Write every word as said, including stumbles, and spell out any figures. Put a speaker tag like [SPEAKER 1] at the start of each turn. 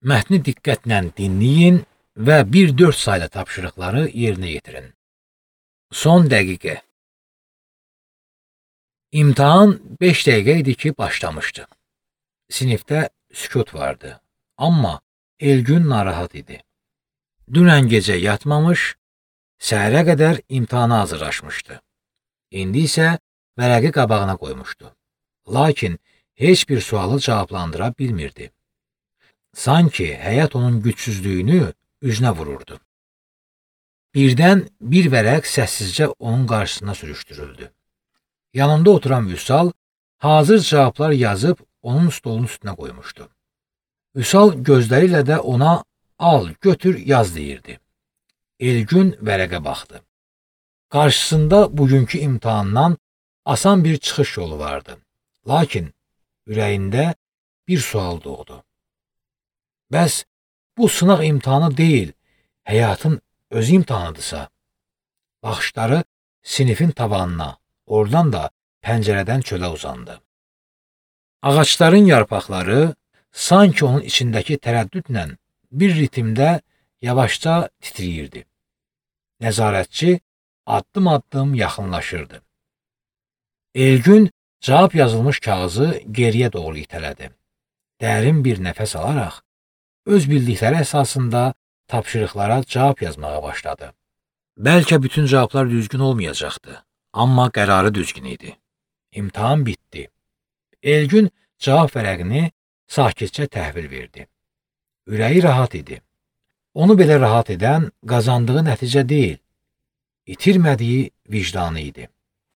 [SPEAKER 1] Mətni diqqətlə dinləyin və bir dörd saylı tapşırıqları yerinə yetirin. Son dəqiqə. İmtahan beş dəqiqə idi ki, başlamışdı. Sinifdə sükut vardı, amma Elgün narahat idi. Dünən gecə yatmamış, səhərə qədər imtahana hazırlaşmışdı. İndi isə vərəqi qabağına qoymuşdu. Lakin heç bir sualı cavablandıra bilmirdi. Sanki həyat onun gücsüzlüyünü üzünə vururdu. Birdən bir vərəq səssizcə onun qarşısına sürüşdürüldü. Yanında oturan Vüsal hazır cavablar yazıb onun stolunun üstünə qoymuşdu. Vüsal gözləri ilə də ona al, götür, yaz deyirdi. Elgün vərəqə baxdı. Qarşısında bugünkü imtahandan asan bir çıxış yolu vardı. Lakin ürəyində bir sual doğdu. Bəs bu sınaq imtahanı deyil, həyatın öz imtahanıdırsa? Baxışları sinifin tavanına, oradan da pəncərədən çölə uzandı. Ağaçların yarpaqları sanki onun içindəki tərəddüdlə bir ritmdə yavaşca titriyirdi. Nəzarətçi addım-addım yaxınlaşırdı. Elgün cavab yazılmış kağızı geriyə doğru itələdi. Dərin bir nəfəs alaraq, öz bildikləri əsasında tapşırıqlara cavab yazmağa başladı. Bəlkə bütün cavablar düzgün olmayacaqdı, amma qərarı düzgün idi. İmtahan bitdi. Elgün cavab vərəqini sakitcə təhvil verdi. Ürəyi rahat idi. Onu belə rahat edən qazandığı nəticə deyil, itirmədiyi vicdanı idi.